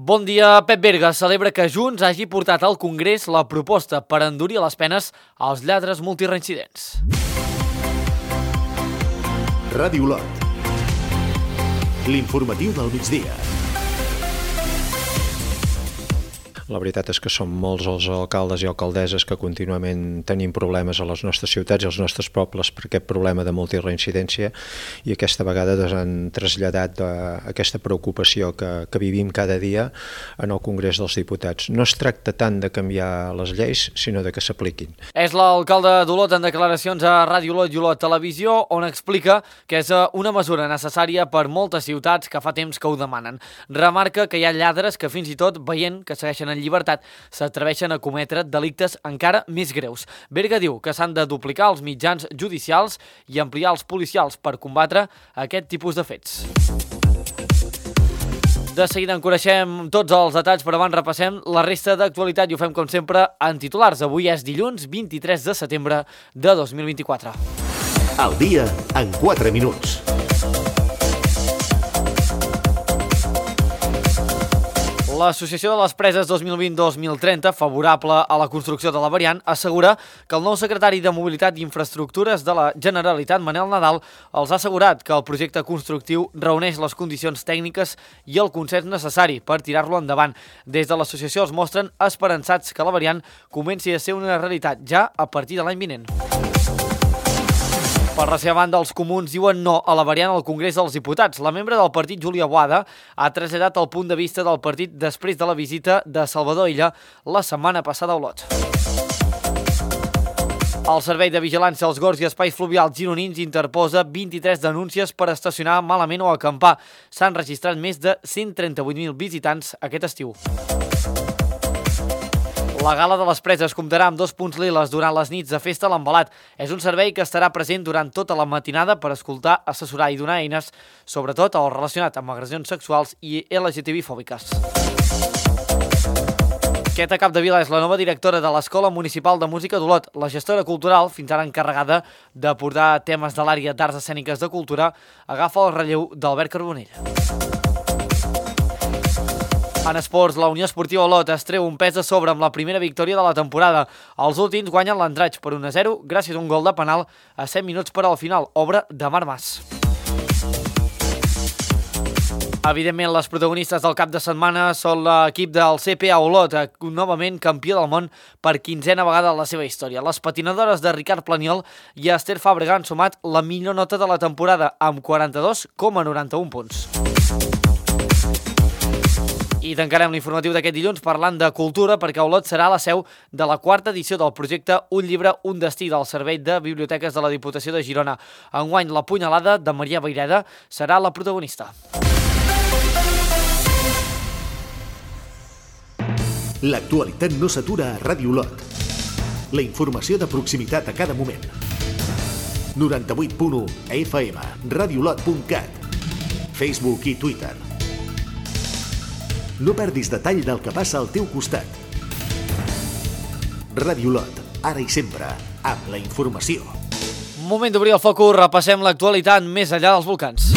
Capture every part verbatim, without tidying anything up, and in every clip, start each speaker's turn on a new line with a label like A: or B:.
A: Bon dia. Pep Berga celebra que Junts hagi portat al Congrés la proposta per endurir les penes als lladres multireincidents.
B: Ràdio Olot. L'informatiu del migdia.
C: La veritat és que som molts els alcaldes i alcaldesses que contínuament tenim problemes a les nostres ciutats i als nostres pobles per aquest problema de multireincidència i aquesta vegada ens han traslladat aquesta preocupació que, que vivim cada dia en el Congrés dels Diputats. No es tracta tant de canviar les lleis, sinó de que s'apliquin.
A: És l'alcalde d'Olot en declaracions a Ràdio Olot i Olot Televisió, on explica que és una mesura necessària per moltes ciutats que fa temps que ho demanen. Remarca que hi ha lladres que fins i tot veient que segueixen en llibertat s'atreveixen a cometre delictes encara més greus. Berga diu que s'han de duplicar els mitjans judicials i ampliar els policials per combatre aquest tipus de fets. De seguida en coneixem tots els detalls, però abans repassem la resta d'actualitat i ho fem com sempre en titulars. Avui és dilluns vint-i-tres de setembre de dos mil vint-i-quatre.
B: Al dia en quatre minuts.
A: L'Associació de les Preses dos mil vint dos mil trenta, favorable a la construcció de la variant, assegura que el nou secretari de Mobilitat i Infraestructures de la Generalitat, Manel Nadal, els ha assegurat que el projecte constructiu reuneix les condicions tècniques i el consens necessari per tirar-lo endavant. Des de l'associació es mostren esperançats que la variant comenci a ser una realitat ja a partir de l'any vinent. Per la seva banda, els comuns diuen no a la variant al Congrés dels Diputats. La membre del partit, Júlia Boada, ha traslladat el punt de vista del partit després de la visita de Salvador Illa la setmana passada a Olot. El Servei de Vigilància als Gorgs i Espais Fluvials gironins interposa vint-i-tres denúncies per estacionar malament o acampar. S'han registrat més de cent trenta-vuit mil visitants aquest estiu. La Gala de les Preses comptarà amb dos punts liles durant les nits de festa a l'Envelat. És un servei que estarà present durant tota la matinada per escoltar, assessorar i donar eines, sobretot el relacionat amb agressions sexuals i L G T B fòbiques. Queta Capdevila és la nova directora de l'Escola Municipal de Música d'Olot. La gestora cultural, fins ara encarregada de portar temes de l'àrea d'arts escèniques de cultura, agafa el relleu d'Albert Carbonell. En esports, la Unió Esportiva Olot es treu un pes de sobre amb la primera victòria de la temporada. Els últims guanyen l'Andratx per un a zero gràcies a un gol de penal a set minuts per al final, obra de Marc Mas. Evidentment, les protagonistes del cap de setmana són l'equip del C P A Olot, novament campió del món per quinzena vegada en la seva història. Les patinadores de Ricard Planiol i Esther Fàbrega han sumat la millor nota de la temporada amb quaranta-dos coma noranta-un punts. I tancarem l'informatiu d'aquest dilluns parlant de cultura perquè Olot serà la seu de la quarta edició del projecte Un llibre, un destí del Servei de Biblioteques de la Diputació de Girona. Enguany, la punyalada de Maria Vaireda serà la protagonista.
B: L'actualitat no s'atura a Ràdio Olot. La informació de proximitat a cada moment. noranta-vuit punt u F M, radiolot punt cat, Facebook i Twitter. No perdis detall del que passa al teu costat. Ràdio Olot, ara i sempre, amb la informació.
A: Moment d'obrir el focus, repassem l'actualitat més enllà dels volcans.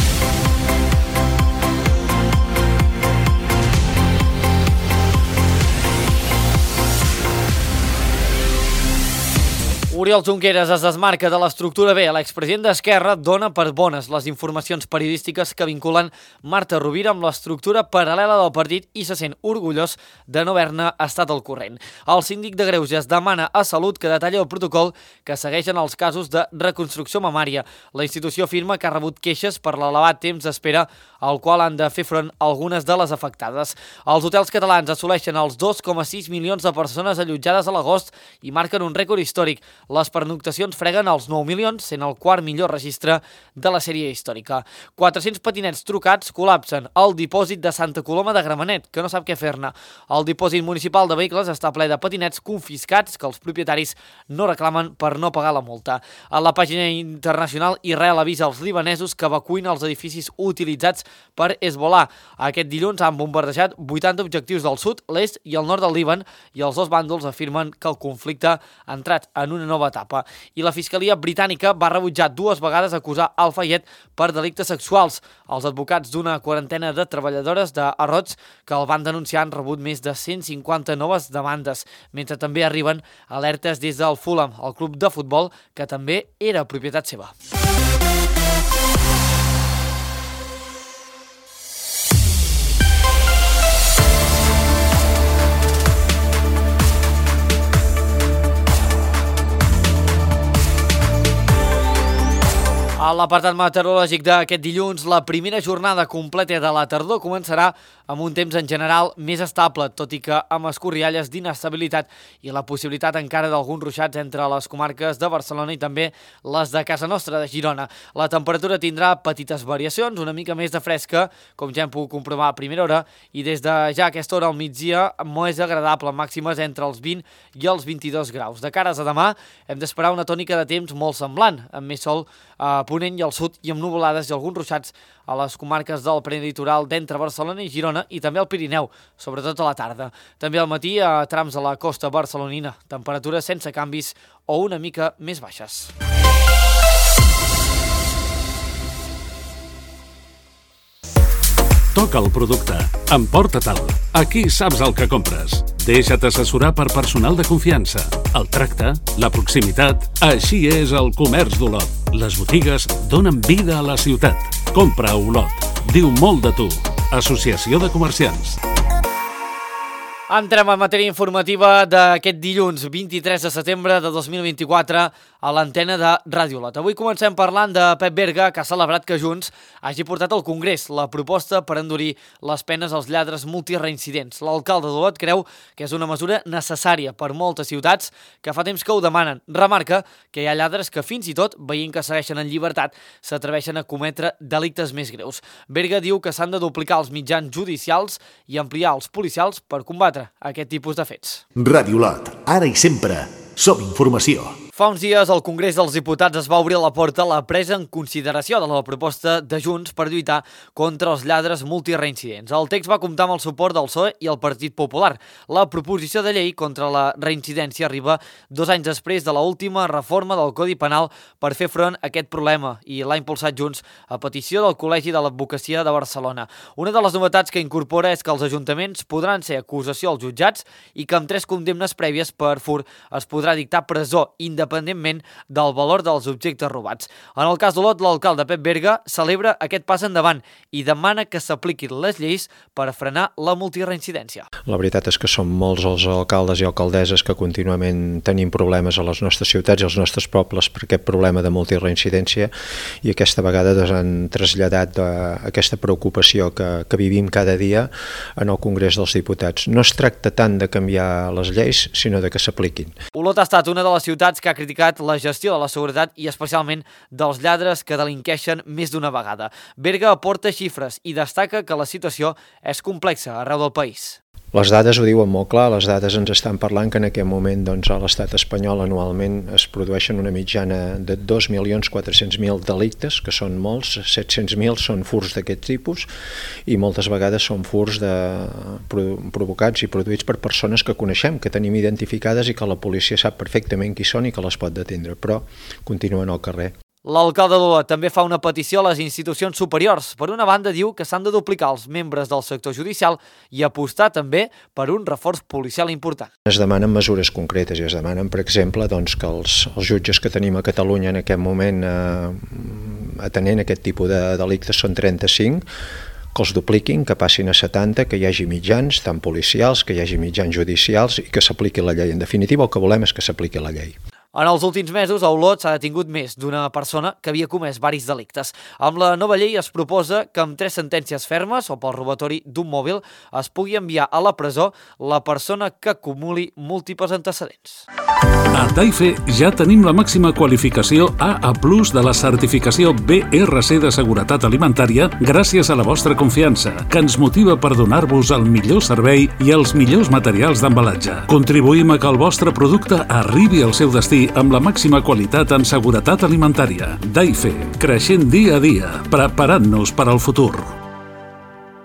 A: Oriol Junqueras es desmarca de l'estructura B. L'expresident d'Esquerra dona per bones les informacions periodístiques que vinculen Marta Rovira amb l'estructura paral·lela del partit i se sent orgullós de no haver-ne estat al corrent. El síndic de Greuges demana a Salut que detalli el protocol que segueixen els casos de reconstrucció mamària. La institució afirma que ha rebut queixes per l'elevat temps d'espera al qual han de fer front algunes de les afectades. Els hotels catalans assoleixen els dos coma sis milions de persones allotjades a l'agost i marquen un rècord històric. Les pernoctacions freguen els nou milions, sent el quart millor registre de la sèrie històrica. quatre-cents patinets trucats col·lapsen al dipòsit de Santa Coloma de Gramenet, que no sap què fer-ne. El dipòsit municipal de vehicles està ple de patinets confiscats que els propietaris no reclamen per no pagar la multa. A la pàgina internacional, Israel avisa als libanesos que evacuïn els edificis utilitzats per Hezbollah. Aquest dilluns han bombardejat vuitanta objectius del sud, l'est i el nord del Líban i els dos bàndols afirmen que el conflicte ha entrat en una nova nova etapa. I la Fiscalia britànica va rebutjar dues vegades acusar Al-Fayed per delictes sexuals. Els advocats d'una quarantena de treballadores de Harrods que el van denunciar han rebut més de cent cinquanta noves demandes, mentre també arriben alertes des del Fulham, el club de futbol que també era propietat seva. A l'apartat meteorològic d'aquest dilluns, la primera jornada completa de la tardor començarà amb un temps en general més estable, tot i que amb escorrialles d'inestabilitat i la possibilitat encara d'alguns ruixats entre les comarques de Barcelona i també les de casa nostra, de Girona. La temperatura tindrà petites variacions, una mica més de fresca, com ja hem pogut comprovar a primera hora, i des de ja aquesta hora al migdia més agradable, màximes entre els vint i els vint-i-dos graus. De cares a demà hem d'esperar una tònica de temps molt semblant, amb més sol a Ponent i al sud i amb nuvolades i alguns ruixats a les comarques del prelitoral d'entre Barcelona i Girona i també al Pirineu, sobretot a la tarda. També al matí a trams de la costa barcelonina, temperatures sense canvis o una mica més baixes.
D: Toca el producte. Emporta-te'l. Aquí saps el que compres. Deixa't assessorar per personal de confiança. El tracte, la proximitat... Així és el comerç d'Olot. Les botigues donen vida a la ciutat. Compra a Olot. Diu molt de tu. Associació de Comerciants.
A: Entrem en matèria informativa d'aquest dilluns vint-i-tres de setembre de dos mil vint-i-quatre a l'antena de Ràdio Olot. Avui comencem parlant de Pep Berga, que ha celebrat que Junts hagi portat al Congrés la proposta per endurir les penes als lladres multireincidents. L'alcalde d'Olot creu que és una mesura necessària per moltes ciutats que fa temps que ho demanen. Remarca que hi ha lladres que fins i tot, veient que segueixen en llibertat, s'atreveixen a cometre delictes més greus. Berga diu que s'han de duplicar els mitjans judicials i ampliar els policials per combatre aquest tipus de fets.
B: Ràdio Olot, ara i sempre, som informació.
A: Fa uns dies el Congrés dels Diputats es va obrir la porta a la presa en consideració de la proposta de Junts per lluitar contra els lladres multireincidents. El text va comptar amb el suport del P S O E i el Partit Popular. La proposició de llei contra la reincidència arriba dos anys després de l'última reforma del Codi Penal per fer front a aquest problema i l'ha impulsat Junts a petició del Col·legi de l'Advocacia de Barcelona. Una de les novetats que incorpora és que els ajuntaments podran ser acusació als jutjats i que amb tres condemnes prèvies per fur es podrà dictar presó independent independentment del valor dels objectes robats. En el cas d'Olot, l'alcalde Pep Berga celebra aquest pas endavant i demana que s'apliquin les lleis per frenar la multireincidència.
C: La veritat és que som molts els alcaldes i alcaldesses que contínuament tenim problemes a les nostres ciutats i als nostres pobles per aquest problema de multireincidència i aquesta vegada doncs, han traslladat aquesta preocupació que, que vivim cada dia en el Congrés dels Diputats. No es tracta tant de canviar les lleis, sinó de que s'apliquin.
A: Olot ha estat una de les ciutats que ha criticat la gestió de la seguretat i especialment dels lladres que delinqueixen més d'una vegada. Berga aporta xifres i destaca que la situació és complexa arreu del país.
C: Les dades ho diuen molt clar, les dades ens estan parlant que en aquest moment doncs, a l'estat espanyol anualment es produeixen una mitjana de dos milions quatre-cents mil delictes, que són molts, set-cents mil són furs d'aquest tipus i moltes vegades són furs de, provocats i produïts per persones que coneixem, que tenim identificades i que la policia sap perfectament qui són i que les pot detendre, però continuen al carrer.
A: L'alcalde d'Olot també fa una petició a les institucions superiors. Per una banda, diu que s'han de duplicar els membres del sector judicial i apostar també per un reforç policial important.
C: Es demanen mesures concretes i es demanen, per exemple, doncs, que els, els jutges que tenim a Catalunya en aquest moment eh, atenent aquest tipus de delictes són trenta-cinc, que els dupliquin, que passin a setanta, que hi hagi mitjans, tant policials, que hi hagi mitjans judicials i que s'apliqui la llei. En definitiva, el que volem és que s'apliqui la llei.
A: En els últims mesos, a Olot s'ha detingut més d'una persona que havia comès varis delictes. Amb la nova llei es proposa que amb tres sentències fermes o pel robatori d'un mòbil es pugui enviar a la presó la persona que acumuli múltiples antecedents.
D: A Taife ja tenim la màxima qualificació A A plus de la certificació B R C de seguretat alimentària gràcies a la vostra confiança, que ens motiva per donar-vos el millor servei i els millors materials d'embalatge. Contribuïm a que el vostre producte arribi al seu destí amb la màxima qualitat en seguretat alimentària. Taife, creixent dia a dia, preparant-nos per al futur.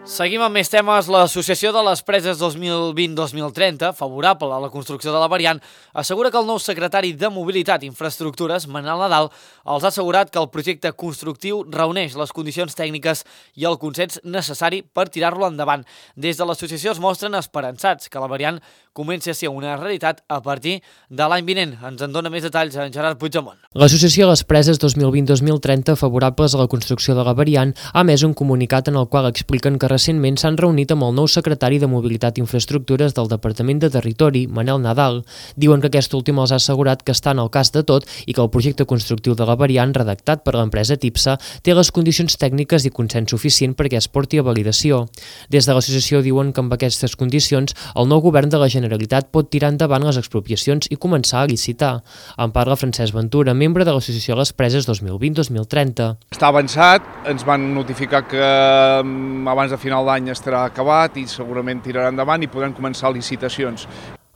A: Seguim amb més temes. L'Associació de les Preses dos mil vint dos mil trenta, favorable a la construcció de la variant, assegura que el nou secretari de Mobilitat i Infraestructures, Manel Nadal, els ha assegurat que el projecte constructiu reuneix les condicions tècniques i el consens necessari per tirar-lo endavant. Des de l'associació es mostren esperançats que la variant comenci a ser una realitat a partir de l'any vinent. Ens en dona més detalls en Gerard Puigdemont.
E: L'Associació de les Preses dos mil vint dos mil trenta, favorables a la construcció de la variant, ha emès un comunicat en el qual expliquen que recentment s'han reunit amb el nou secretari de Mobilitat i Infraestructures del Departament de Territori, Manel Nadal. Diuen que aquest últim els ha assegurat que estan al cas de tot i que el projecte constructiu de la variant, redactat per l'empresa Tipsa, té les condicions tècniques i consens suficient perquè es porti a validació. Des de l'associació diuen que amb aquestes condicions el nou govern de la Generalitat pot tirar endavant les expropiacions i començar a licitar. En parla Francesc Ventura, membre de l'Associació de les Preses dos mil vint dos mil trenta.
F: Està avançat, ens van notificar que abans de final d'any estarà acabat i segurament tirarà endavant i podran començar licitacions.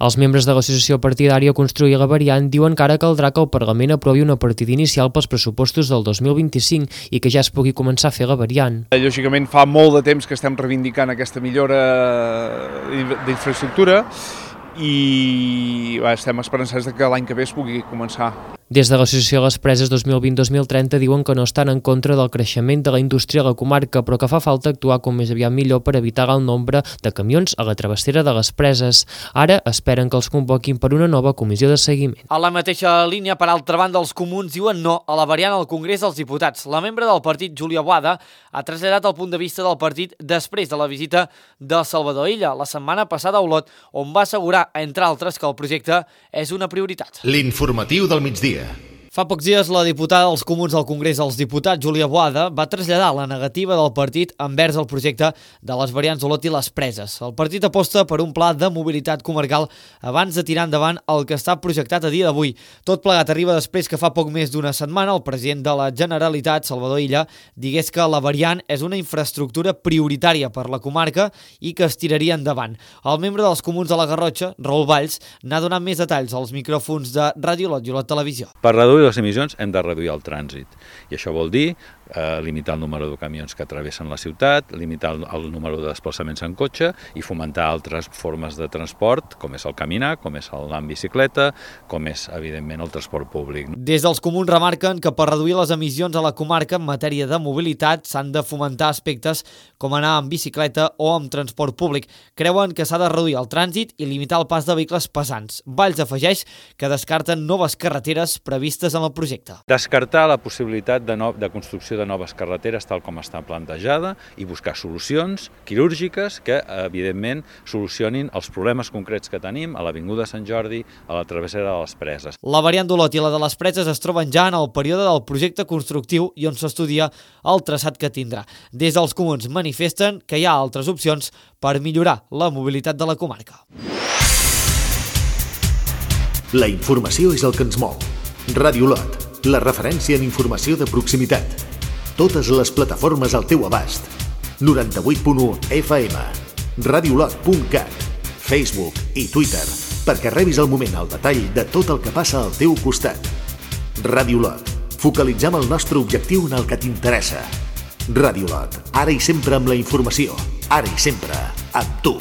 E: Els membres de l'associació partidària Construir la Variant diuen que ara caldrà que el Parlament aprovi una partida inicial pels pressupostos del dos mil vint-i-cinc i que ja es pugui començar a fer la variant.
F: Lògicament fa molt de temps que estem reivindicant aquesta millora d'infraestructura i va, estem esperançats que l'any que ve es pugui començar.
E: Des de l'Associació de les Preses dos mil vint dos mil trenta diuen que no estan en contra del creixement de la indústria a la comarca, però que fa falta actuar com més aviat millor per evitar el nombre de camions a la travessera de les preses. Ara esperen que els convoquin per una nova comissió de seguiment.
A: A la mateixa línia, per altra banda, els comuns diuen no a la variant al Congrés dels Diputats. La membre del partit, Júlia Boada, ha traslladat el punt de vista del partit després de la visita de Salvador Illa la setmana passada a Olot, on va assegurar, entre altres, que el projecte és una prioritat.
B: L'informatiu del migdia.
A: Fa pocs dies, la diputada dels Comuns al Congrés dels Diputats, Júlia Boada, va traslladar la negativa del partit envers el projecte de les variants Olot i les Preses. El partit aposta per un pla de mobilitat comarcal abans de tirar endavant el que està projectat a dia d'avui. Tot plegat arriba després que fa poc més d'una setmana el president de la Generalitat, Salvador Illa, digués que la variant és una infraestructura prioritària per la comarca i que es tiraria endavant. El membre dels Comuns de la Garrotxa, Raül Valls, n'ha donat més detalls als micròfons de Ràdio Olot i Olot Televisió.
G: Per reduir les emissions hem de reduir el trànsit i això vol dir eh, limitar el número de camions que travessen la ciutat, limitar el, el número de desplaçaments en cotxe i fomentar altres formes de transport, com és el caminar, com és l'anar en bicicleta, com és, evidentment, el transport públic.
A: Des dels Comuns remarquen que per reduir les emissions a la comarca en matèria de mobilitat s'han de fomentar aspectes com anar en bicicleta o amb transport públic. Creuen que s'ha de reduir el trànsit i limitar el pas de vehicles pesants. Valls afegeix que descarten noves carreteres previstes en el projecte.
G: Descartar la possibilitat de, no, de construcció de noves carreteres tal com està plantejada i buscar solucions quirúrgiques que, evidentment, solucionin els problemes concrets que tenim a l'Avinguda Sant Jordi, a la travessera de les Preses.
A: La variant d'Olot i la de les Preses es troben ja en el període del projecte constructiu i on s'estudia el traçat que tindrà. Des dels Comuns manifesten que hi ha altres opcions per millorar la mobilitat de la comarca.
B: La informació és el que ens mou. Ràdio Olot, la referència en informació de proximitat. Totes les plataformes al teu abast. noranta-vuit punt u F M, radiolot punt cat, Facebook i Twitter, perquè rebis al moment el detall de tot el que passa al teu costat. Ràdio Olot, focalitzem el nostre objectiu en el que t'interessa. Ràdio Olot, ara i sempre amb la informació, ara i sempre amb tu.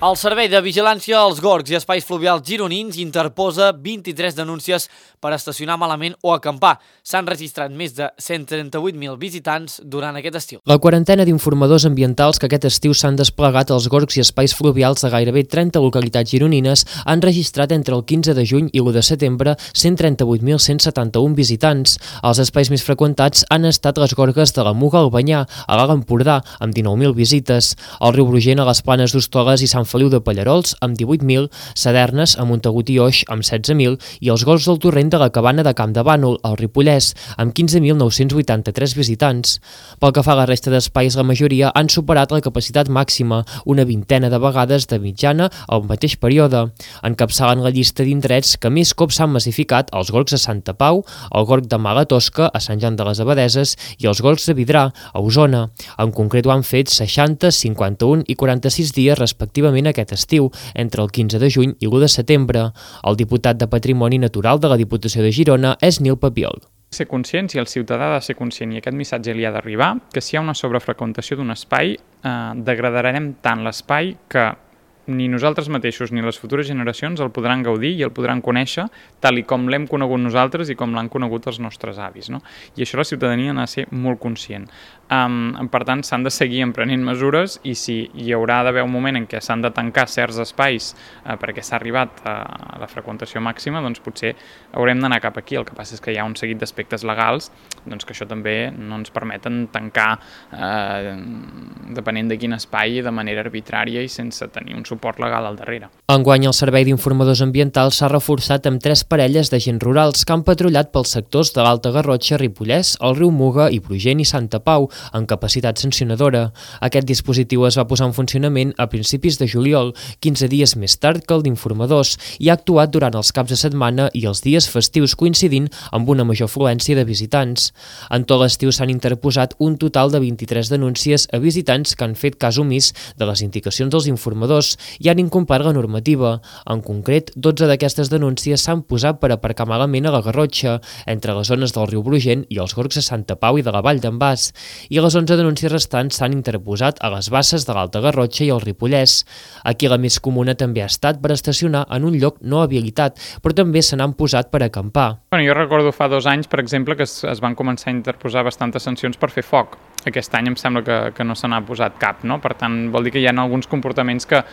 A: El Servei de Vigilància als Gorgs i Espais Fluvials Gironins interposa vint-i-tres denúncies per estacionar malament o acampar. S'han registrat més de cent trenta-vuit mil visitants durant aquest estiu.
E: La quarantena d'informadors ambientals que aquest estiu s'han desplegat als Gorgs i Espais Fluvials de gairebé trenta localitats gironines han registrat entre el quinze de juny i l'u de setembre cent trenta-vuit mil cent setanta-un visitants. Els espais més freqüentats han estat les gorgues de la Muga al Banyar, a l'Alt Empordà, amb dinou mil visites, el riu Brugent a les Planes d'Hostoles i Sant Feliu de Pallarols amb divuit mil, Sadernes a Montagut i Oix amb setze mil i els Gorgs del Torrent de la Cabana de Camp de Bànol, al Ripollès, amb quinze mil nou-cents vuitanta-tres visitants. Pel que fa a la resta d'espais, la majoria han superat la capacitat màxima, una vintena de vegades de mitjana al mateix període. Encapçalen la llista d'indrets que més cops s'han massificat els Gorgs a Santa Pau, el Gorg de Mala Tosca, a Sant Joan de les Abadeses, i els Gorgs de Vidrà, a Osona. En concret ho han fet seixanta, cinquanta-un i quaranta-sis dies respectivament aquest estiu, entre el quinze de juny i l'u de setembre. El diputat de Patrimoni Natural de la Diputació de Girona és Nil Papiol.
H: Ser conscients i el ciutadà ha de ser conscient i aquest missatge li ha d'arribar que si hi ha una sobrefreqüentació d'un espai eh, degradarem tant l'espai que ni nosaltres mateixos ni les futures generacions el podran gaudir i el podran conèixer tal i com l'hem conegut nosaltres i com l'han conegut els nostres avis, no? I això la ciutadania n'ha de ser molt conscient. Um, per tant, s'han de seguir emprenent mesures i si hi haurà d'haver un moment en què s'han de tancar certs espais uh, perquè s'ha arribat a, a la freqüentació màxima, doncs potser haurem d'anar cap aquí. El que passa és que hi ha un seguit d'aspectes legals doncs que això també no ens permeten tancar eh, depenent de quin espai de manera arbitrària i sense tenir un suport legal al darrere.
E: Enguany, el Servei d'Informadors Ambientals s'ha reforçat amb tres parelles d'agents rurals que han patrullat pels sectors de l'Alta Garrotxa, Ripollès, el riu Muga i Brugent i Santa Pau, amb capacitat sancionadora. Aquest dispositiu es va posar en funcionament a principis de juliol, quinze dies més tard que el d'informadors, i ha actuat durant els caps de setmana i els dies festius coincidint amb una major afluència de visitants. En tot l'estiu s'han interposat un total de vint-i-tres denúncies a visitants que han fet cas omís de les indicacions dels informadors i han incomplert la normativa. En concret, dotze d'aquestes denúncies s'han posat per aparcar malament a la Garrotxa, entre les zones del riu Brugent i els gorgs de Santa Pau i de la Vall d'en Bas, i les onze denúncies restants s'han interposat a les basses de l'Alta Garrotxa i el Ripollès. Aquí la més comuna també ha estat per estacionar en un lloc no habilitat, però també se n'han posat per acampar.
H: Bueno, jo recordo fa dos anys, per exemple, que es, es van començar a interposar bastantes sancions per fer foc. Aquest any em sembla que, que no se n'ha posat cap, no? Per tant, vol dir que hi ha alguns comportaments que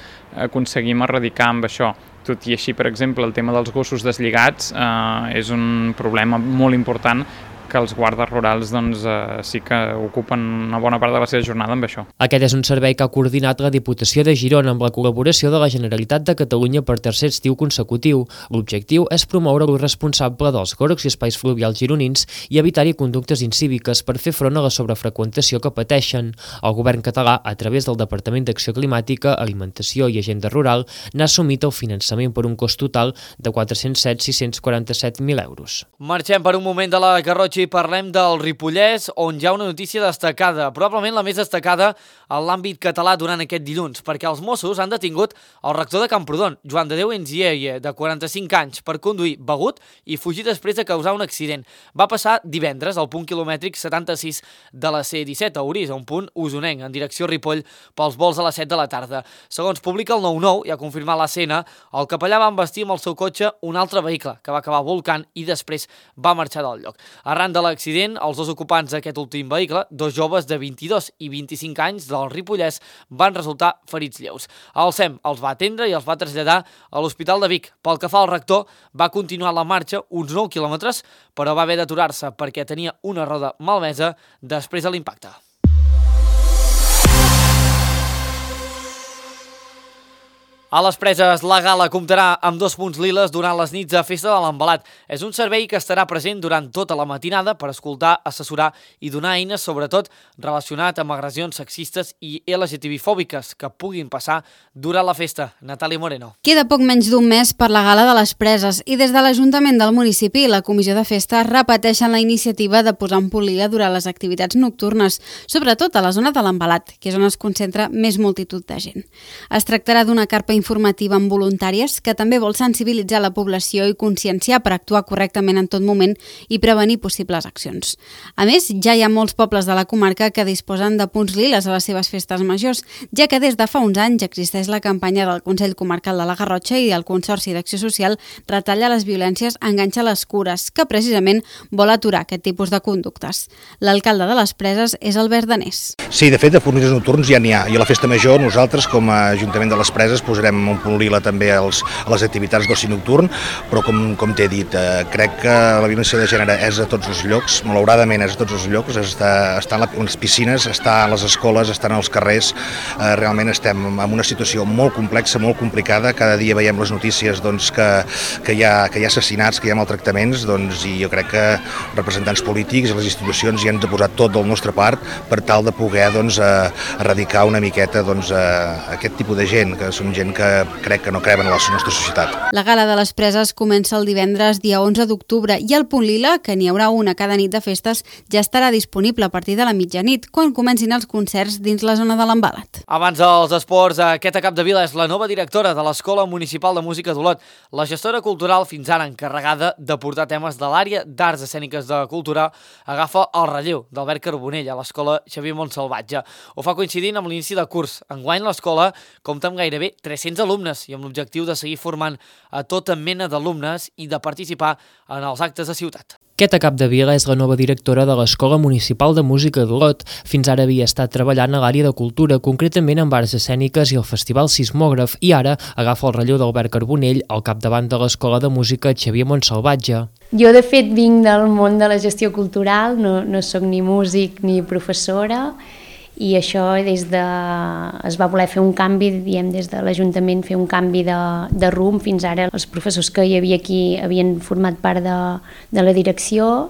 H: aconseguim erradicar amb això. Tot i així, per exemple, el tema dels gossos deslligats eh, és un problema molt important que els guardes rurals doncs, eh, sí que ocupen una bona part de la seva jornada amb això.
E: Aquest és un servei que ha coordinat la Diputació de Girona amb la col·laboració de la Generalitat de Catalunya per tercer estiu consecutiu. L'objectiu és promoure l'ús responsable dels gorgs i espais fluvials gironins i evitar-hi conductes incíviques per fer front a la sobrefreqüentació que pateixen. El govern català, a través del Departament d'Acció Climàtica, Alimentació i Agenda Rural, n'ha assumit el finançament per un cost total de quatre-cents set mil sis-cents quaranta-set mil euros.
A: Marxem per un moment de la Garrotxa i parlem del Ripollès, on hi ha una notícia destacada, probablement la més destacada en l'àmbit català durant aquest dilluns, perquè els Mossos han detingut el rector de Camprodon, Joan de Déu Enzieye, de quaranta-cinc anys, per conduir begut i fugir després de causar un accident. Va passar divendres al punt quilomètric setanta-sis de la C disset a Orís, a un punt usonenc, en direcció Ripoll, pels vols a les set de la tarda. Segons publica el nou nou, i ha confirmat l'escena, el capellà va embestir amb el seu cotxe un altre vehicle, que va acabar volcant i després va marxar del lloc. Arran de l'accident, els dos ocupants d'aquest últim vehicle, dos joves de vint-i-dos i vint-i-cinc anys del Ripollès, van resultar ferits lleus. El S E M els va atendre i els va traslladar a l'Hospital de Vic. Pel que fa al rector, va continuar la marxa uns nou quilòmetres, però va haver d'aturar-se perquè tenia una roda malmesa després de l'impacte. A les Preses, la gala comptarà amb dos punts liles durant les nits de festa de l'Envelat. És un servei que estarà present durant tota la matinada per escoltar, assessorar i donar eines, sobretot relacionat amb agressions sexistes i L G T B-fòbiques que puguin passar durant la festa. Natàlia Moreno.
I: Queda poc menys d'un mes per la gala de les Preses i des de l'Ajuntament del municipi i la Comissió de Festa repeteixen la iniciativa de posar un punt lila durant les activitats nocturnes, sobretot a la zona de l'Envelat, que és on es concentra més multitud de gent. Es tractarà d'una carpa informativa amb voluntàries que també vol sensibilitzar la població i conscienciar per actuar correctament en tot moment i prevenir possibles accions. A més, ja hi ha molts pobles de la comarca que disposen de punts liles a les seves festes majors, ja que des de fa uns anys existeix la campanya del Consell Comarcal de la Garrotxa i del Consorci d'Acció Social Retalla les violències, enganxa les cures, que precisament vol aturar aquest tipus de conductes. L'alcalde de les Preses és Albert Danés.
J: Sí, de fet, de punts nocturns ja n'hi ha. I a la festa major nosaltres, com a Ajuntament de les Preses, posarem un punt lila també als, a les activitats d'oci nocturn, però com, com t'he dit, eh, crec que la violència de gènere és a tots els llocs, malauradament és a tots els llocs, està, està en les piscines, està a les escoles, està als carrers, eh, realment estem en una situació molt complexa, molt complicada, cada dia veiem les notícies doncs, que, que, hi ha, que hi ha assassinats, que hi ha maltractaments, doncs, i jo crec que representants polítics i les institucions hi han de posar tot del nostre part per tal de poder doncs, eh, erradicar una miqueta doncs, eh, aquest tipus de gent, que són gent que que crec que no creuen a la nostra societat.
I: La Gala de les Preses comença el divendres dia onze d'octubre i el Punt Lila, que n'hi haurà una cada nit de festes, ja estarà disponible a partir de la mitjanit, quan comencin els concerts dins la zona de l'Embalat.
A: Abans dels esports, Queta Capdevila és la nova directora de l'Escola Municipal de Música d'Olot, la gestora cultural fins ara encarregada de portar temes de l'àrea d'arts escèniques de cultura, agafa el relleu d'Albert Carbonell a l'Escola Xavier Montsalvatge. Ho fa coincidint amb l'inici de curs. Enguany l'escola compta amb gairebé tres-cents alumnes i amb l'objectiu de seguir formant a tota mena d'alumnes i de participar en els actes de ciutat.
E: Queta Capdevila és la nova directora de l'Escola Municipal de Música d'Olot. Fins ara havia estat treballant a l'àrea de cultura, concretament amb arts escèniques i el Festival Sismògraf, i ara agafa el relleu d'Albert Carbonell al capdavant de l'Escola de Música Xavier Montsalvatge.
K: Jo, de fet, vinc del món de la gestió cultural, no, no soc ni músic ni professora, i això des de... es va voler fer un canvi, diem, des de l'Ajuntament, fer un canvi de, de rumb. Fins ara els professors que hi havia aquí havien format part de, de la direcció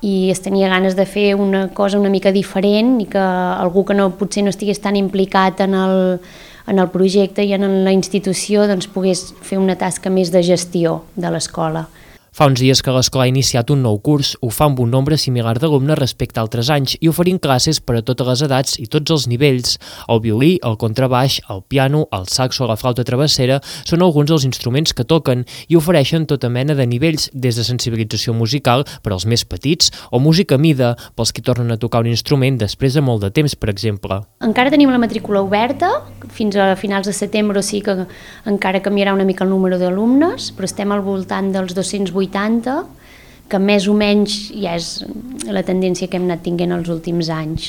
K: i es tenia ganes de fer una cosa una mica diferent i que algú que no, potser no estigués tan implicat en el, en el projecte i en la institució doncs, pogués fer una tasca més de gestió de l'escola.
E: Fa uns dies que l'escola ha iniciat un nou curs, ho fa amb un nombre similar d'alumnes respecte a altres anys i oferint classes per a totes les edats i tots els nivells. El violí, el contrabaix, el piano, el saxo o la flauta travessera són alguns dels instruments que toquen i ofereixen tota mena de nivells, des de sensibilització musical per als més petits o música a mida pels que tornen a tocar un instrument després de molt de temps, per exemple.
K: Encara tenim la matrícula oberta fins a finals de setembre, o sigui que encara canviarà una mica el número d'alumnes, però estem al voltant dels dos-cents vuitanta, que més o menys ja és la tendència que hem anat tinguent els últims anys.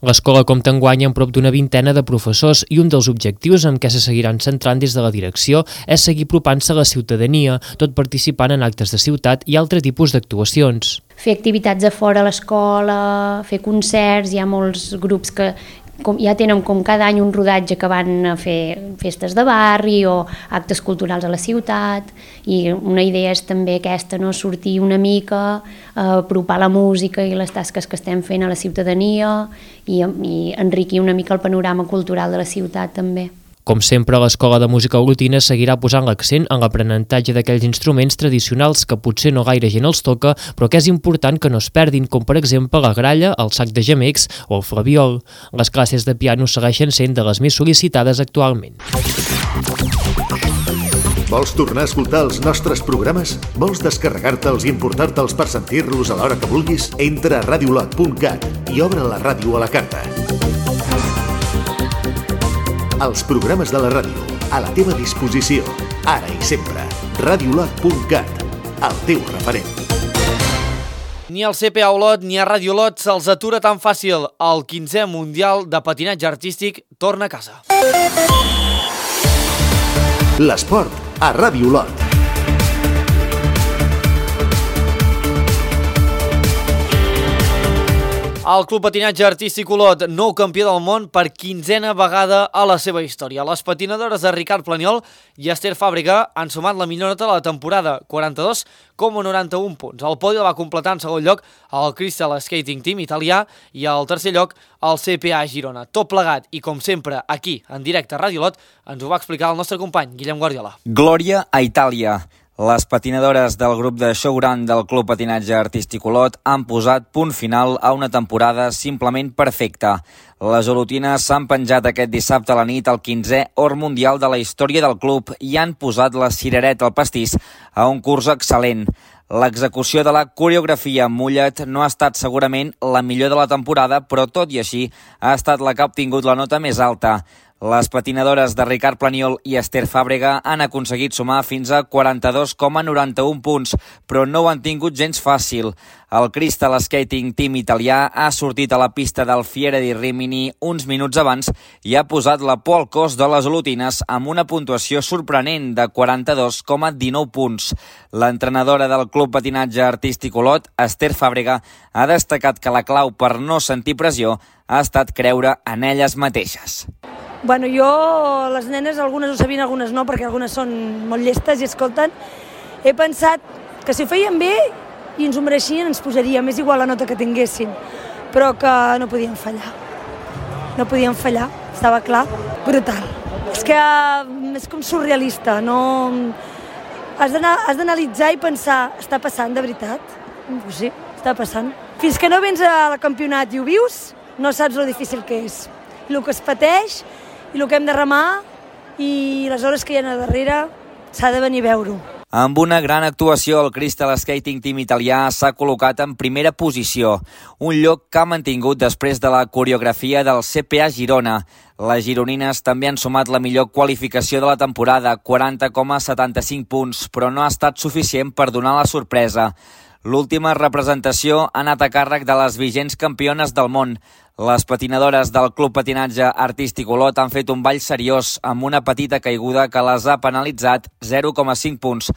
E: L'escola compta enguany amb prop d'una vintena de professors i un dels objectius en què se seguiran centrant des de la direcció és seguir apropant-se a la ciutadania, tot participant en actes de ciutat i altre tipus d'actuacions.
K: Fer activitats a fora a l'escola, fer concerts, hi ha molts grups que com, ja tenen com cada any un rodatge que van a fer festes de barri o actes culturals a la ciutat, i una idea és també aquesta, no? Sortir una mica, eh, apropar la música i les tasques que estem fent a la ciutadania i, i enriquir una mica el panorama cultural de la ciutat també.
E: Com sempre, l'Escola de Música Olotina seguirà posant l'accent en l'aprenentatge d'aquells instruments tradicionals que potser no gaire gent els toca, però que és important que no es perdin, com per exemple la gralla, el sac de gemecs o el flabiol. Les classes de piano segueixen sent de les més sol·licitades actualment.
B: Vols tornar a escoltar els nostres programes? Vols descarregar-te'ls i importar-te'ls per sentir-los a l'hora que vulguis? Entra a radiolot punt cat i obre la ràdio a la carta. Els programes de la ràdio, a la teva disposició, ara i sempre. radiolot punt cat, el teu referent.
A: Ni al C P A Olot ni a Ràdio Olot se'ls atura tan fàcil. El quinzè Mundial de Patinatge Artístic torna a casa.
B: L'esport a Ràdio Olot.
A: El Club Patinatge Artístic Olot, nou campió del món per quinzena vegada a la seva història. Les patinadores de Ricard Planiol i Esther Fàbrega han sumat la millor nota de la temporada, quaranta-dos coma noranta-un punts. El podi el va completar en segon lloc el Crystal Skating Team italià i al tercer lloc el C P A Girona. Tot plegat i, com sempre, aquí, en directe a Ràdio Olot, ens ho va explicar el nostre company, Guillem Guardiola.
L: Glòria a Itàlia. Les patinadores del grup de Showground del Club Patinatge Artístic Olot han posat punt final a una temporada simplement perfecta. Les olotines s'han penjat aquest dissabte a la nit al quinzè or mundial de la història del club i han posat la cirereta al pastís a un curs excel·lent. L'execució de la coreografia en mullet no ha estat segurament la millor de la temporada, però tot i així ha estat la que ha obtingut la nota més alta. Les patinadores de Ricard Planiol i Esther Fàbrega han aconseguit sumar fins a quaranta-dos coma noranta-un punts, però no ho han tingut gens fàcil. El Crystal Skating Team italià ha sortit a la pista del Fiera di Rimini uns minuts abans i ha posat la por al cos de les olotines amb una puntuació sorprenent de quaranta-dos coma dinou punts. L'entrenadora del Club Patinatge Artístic Olot, Esther Fàbrega, ha destacat que la clau per no sentir pressió ha estat creure en elles mateixes.
M: Bueno, jo, les nenes, algunes ho sabien, algunes no, perquè algunes són molt llestes i escolten. He pensat que si ho feien bé i ens ho mereixien, ens posaria, més igual la nota que tinguessin, però que no podien fallar. No podien fallar, estava clar, brutal. és que és com surrealista, no... Has d'analitzar i pensar, està passant de veritat? Pues sí, està passant. Fins que no vens al campionat i ho vius, no saps lo difícil que és. I el que es pateix, i el que hem de remar, i les hores que hi ha a darrere, s'ha de venir a veure-ho.
L: Amb una gran actuació, el Crystal Skating Team italià s'ha col·locat en primera posició, un lloc que ha mantingut després de la coreografia del C P A Girona. Les gironines també han sumat la millor qualificació de la temporada, quaranta coma setanta-cinc punts, però no ha estat suficient per donar la sorpresa. L'última representació ha anat a càrrec de les vigents campiones del món. Les patinadores del Club Patinatge Artístic Olot han fet un ball seriós amb una petita caiguda que les ha penalitzat zero coma cinc punts.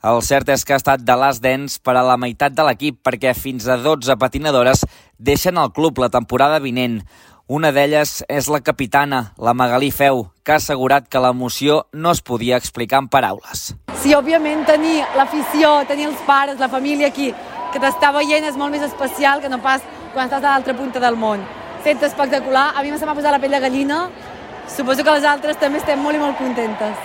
L: El cert és que ha estat de last dance per a la meitat de l'equip perquè fins a dotze patinadores deixen el club la temporada vinent. Una d'elles és la capitana, la Magalí Feu, que ha assegurat que l'emoció no es podia explicar en paraules.
N: Sí, òbviament tenir l'afició, tenir els pares, la família aquí, que t'està veient és molt més especial que no pas quan estàs a l'altra punta del món. Fet espectacular, a mi se m'ha posat la pell de gallina, suposo que les altres també estem molt i molt contentes.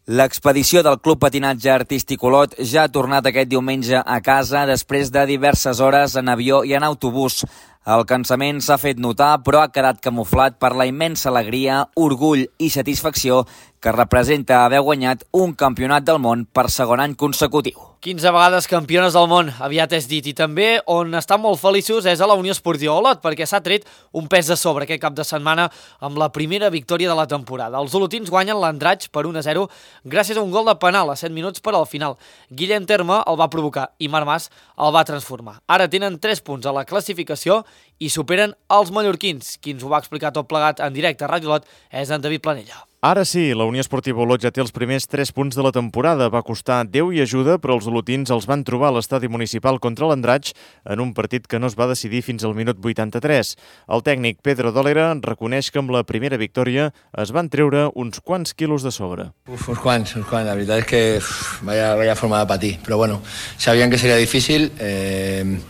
L: L'expedició del Club Patinatge Artístic Olot ja ha tornat aquest diumenge a casa després de diverses hores en avió i en autobús. El cansament s'ha fet notar, però ha quedat camuflat per la immensa alegria, orgull i satisfacció que representa haver guanyat un campionat del món per segon any consecutiu.
A: quinze vegades campiones del món, aviat és dit, i també on estan molt feliços és a la Unió Esportiva Olot, perquè s'ha tret un pes de sobre aquest cap de setmana amb la primera victòria de la temporada. Els olotins guanyen l'Andratx per un a zero gràcies a un gol de penal a set minuts per al final. Guillem Terme el va provocar i Marc Mas el va transformar. Ara tenen tres punts a la classificació i superen els mallorquins. Qui ens ho va explicar tot plegat en directe a Ràdio Olot és en David Planella.
O: Ara sí, la Unió Esportiva Olot ja té els primers tres punts de la temporada. Va costar Déu i ajuda, però els olotins els van trobar a l'estadi municipal contra l'Andratx en un partit que no es va decidir fins al minut vuitanta-tres. El tècnic Pedro Dólera reconeix que amb la primera victòria es van treure uns quants quilos de sobre.
P: Uf, uns quants, uns quants. La veritat és que uf, vaya, vaya forma de patir. Però bueno, sabien que seria difícil. Eh...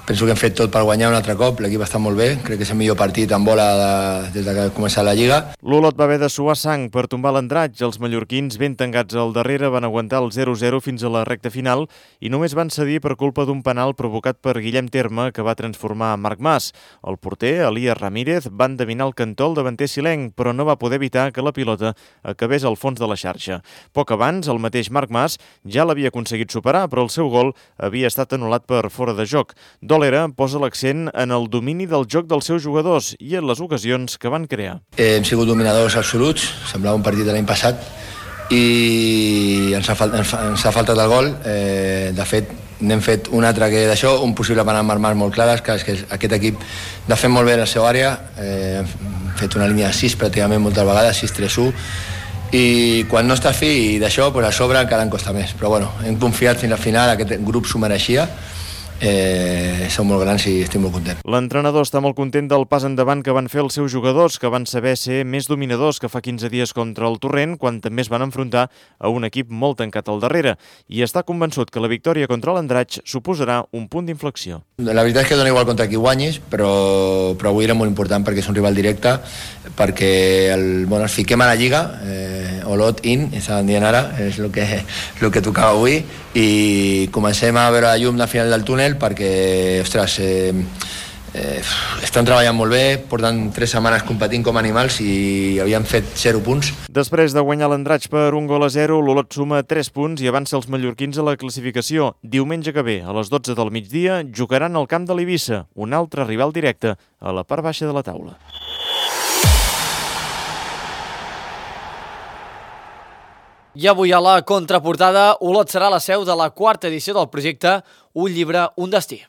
P: Penso que hem fet tot per guanyar un altre cop, l'equip està molt bé, crec que és el millor partit en bola de, des que ha començat la Lliga.
O: L'Olot va haver de suar sang per tombar l'Andratx. Els mallorquins, ben tancats al darrere, van aguantar el zero a zero fins a la recta final i només van cedir per culpa d'un penal provocat per Guillem Terme, que va transformar Marc Mas. El porter, Elias Ramírez, va endevinar el cantó al davanter silenc, però no va poder evitar que la pilota acabés al fons de la xarxa. Poc abans, el mateix Marc Mas ja l'havia aconseguit superar, però el seu gol havia estat anul·lat per fora de joc. Dólera posa l'accent en el domini del joc dels seus jugadors i en les ocasions que van crear.
P: Eh, hem sigut dominadors absoluts, semblava un partit de l'any passat i ens ha, fal ens, ens ha faltat el gol. Eh, de fet, n'hem fet un altre que d'això, un possible penal amb armar molt clares, que és que aquest equip de fet molt bé en la seva àrea, eh, hem fet una línia de sis pràcticament moltes vegades, sis tres u, i quan no està fi d'això, pues a sobre encara en costa més. Però bueno, hem confiat fins al final, aquest grup s'ho mereixia. Eh, són molt grans i estic molt content.
O: L'entrenador està molt content del pas endavant que van fer els seus jugadors, que van saber ser més dominadors que fa quinze dies contra el Torrent, quan també es van enfrontar a un equip molt tancat al darrere, i està convençut que la victòria contra l'Andratx suposarà un punt d'inflexió.
P: La veritat és que dona igual contra qui guanyis, però, però avui era molt important perquè és un rival directe, perquè el, bueno, ens fiquem a la Lliga, eh, Olot in, estaven dient ara, és el que, el que tocava avui, i comencem a veure la llum al final del túnel perquè, ostres, eh, eh, estan treballant molt bé, portant tres setmanes competint com animals i havien fet zero punts.
O: Després de guanyar l'Andratx per un gol a zero, l'Olot suma tres punts i avança els mallorquins a la classificació. Diumenge que ve, a les dotze del migdia, jugaran al camp de l'Eivissa, un altre rival directe a la part baixa de la taula.
A: I avui a la contraportada, Olot serà la seu de la quarta edició del projecte Un llibre, un destí.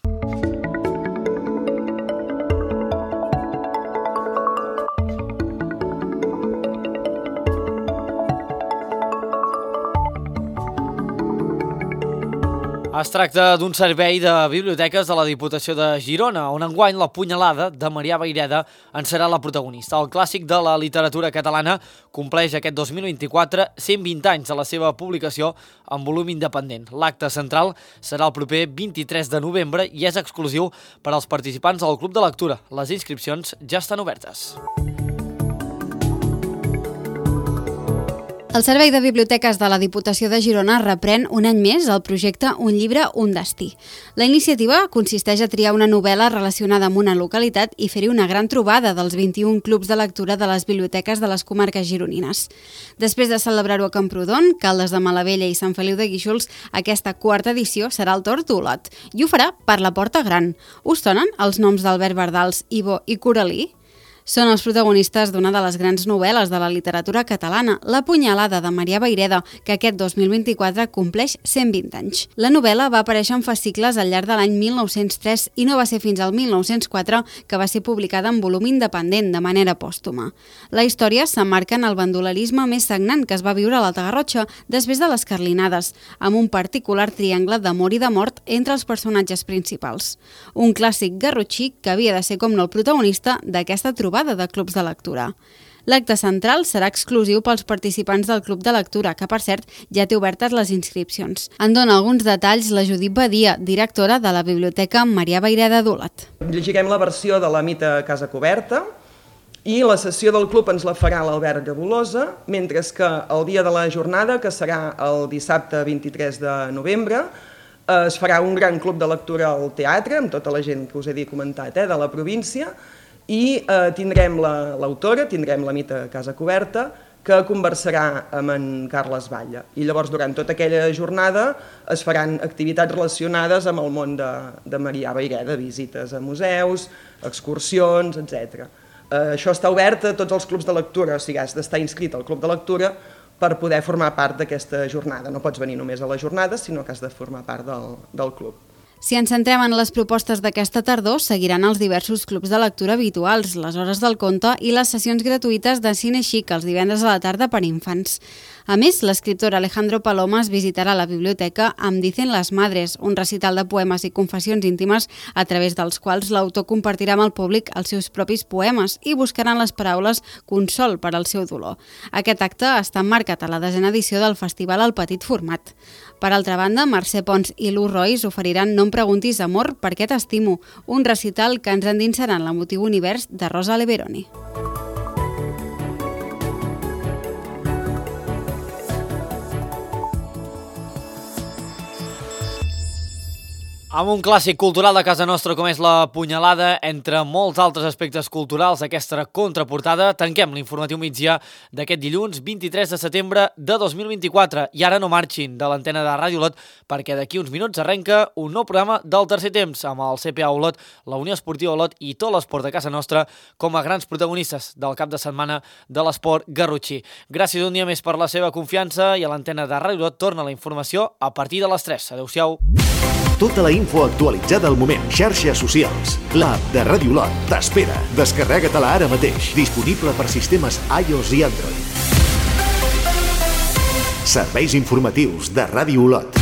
A: Es tracta d'un servei de biblioteques de la Diputació de Girona, on enguany la Punyalada de Marià Vayreda en serà la protagonista. El clàssic de la literatura catalana compleix aquest dos mil vint-i-quatre cent vint anys de la seva publicació en volum independent. L'acte central serà el proper vint-i-tres de novembre i és exclusiu per als participants del Club de Lectura. Les inscripcions ja estan obertes.
I: El Servei de Biblioteques de la Diputació de Girona reprèn un any més el projecte Un llibre, un destí. La iniciativa consisteix a triar una novel·la relacionada amb una localitat i fer-hi una gran trobada dels vint-i-un clubs de lectura de les biblioteques de les comarques gironines. Després de celebrar-ho a Camprodon, Caldes de Malavella i Sant Feliu de Guíxols, aquesta quarta edició serà el torn d'Olot i ho farà per la Porta Gran. Us sonen els noms d'Albert Bardals, Ivo i Coralí? Són els protagonistes d'una de les grans novel·les de la literatura catalana, La punyalada, de Marià Vayreda, que aquest dos mil vint-i-quatre compleix cent vint anys. La novel·la va aparèixer en fascicles al llarg de l'any mil nou-cents tres i no va ser fins al mil nou-cents quatre que va ser publicada en volum independent, de manera pòstuma. La història s'emmarca en el bandolerisme més sagnant que es va viure a l'Alta Garrotxa després de les Carlinades, amb un particular triangle d'amor i de mort entre els personatges principals. Un clàssic garrotxí que havia de ser com no el protagonista d'aquesta trobada de clubs de lectura. L'acte central serà exclusiu pels participants del Club de Lectura, que, per cert, ja té obertes les inscripcions. En dona alguns detalls la Judit Badia, directora de la Biblioteca Marià Vayreda d'Olot.
Q: Llegirem la versió de la Mita Casa Coberta i la sessió del club ens la farà l'Albert Gabolosa, mentre que el dia de la jornada, que serà el dissabte vint-i-tres de novembre, es farà un gran club de lectura al teatre, amb tota la gent que us he dit comentat, eh, de la província, i eh, tindrem l'autora, la, tindrem la Mita Casa Coberta, que conversarà amb en Carles Batlle. I llavors, durant tota aquella jornada, es faran activitats relacionades amb el món de, de Marià Vayreda, visites a museus, excursions, etcètera. Eh, això està obert a tots els clubs de lectura, o sigui, has d'estar inscrit al club de lectura per poder formar part d'aquesta jornada. No pots venir només a la jornada, sinó que has de formar part del, del club.
I: Si ens centrem en les propostes d'aquesta tardor, seguiran els diversos clubs de lectura habituals, les hores del conte i les sessions gratuïtes de cine xic els divendres a la tarda per infants. A més, l'escriptor Alejandro Palomas visitarà la biblioteca amb Dicen las Madres, un recital de poemes i confessions íntimes a través dels quals l'autor compartirà amb el públic els seus propis poemes i buscaran les paraules consol per al seu dolor. Aquest acte està emmarcat a la desena edició del festival al petit format. Per altra banda, Mercè Pons i Lu Rois oferiran No em preguntis amor, per què t'estimo, un recital que ens endinsarà en l'emotiu univers de Rosa Leveroni.
A: Amb un clàssic cultural de casa nostra com és la punyalada, entre molts altres aspectes culturals d'aquesta contraportada, tanquem l'informatiu migdia d'aquest dilluns vint-i-tres de setembre de dos mil vint-i-quatre. I ara no marxin de l'antena de Ràdio Olot, perquè d'aquí uns minuts arrenca un nou programa del tercer temps amb el C P A Olot, la Unió Esportiva Olot i tot l'esport de casa nostra com a grans protagonistes del cap de setmana de l'esport garrotxí. Gràcies un dia més per la seva confiança i a l'antena de Ràdio Olot torna la informació a partir de les tres. Adéu-siau.
B: Tota la info actualitzada al moment. Xarxes socials. L'app de Ràdio Olot t'espera. Descarrega-te-la ara mateix. Disponible per sistemes iOS i Android. Serveis informatius de Ràdio Olot.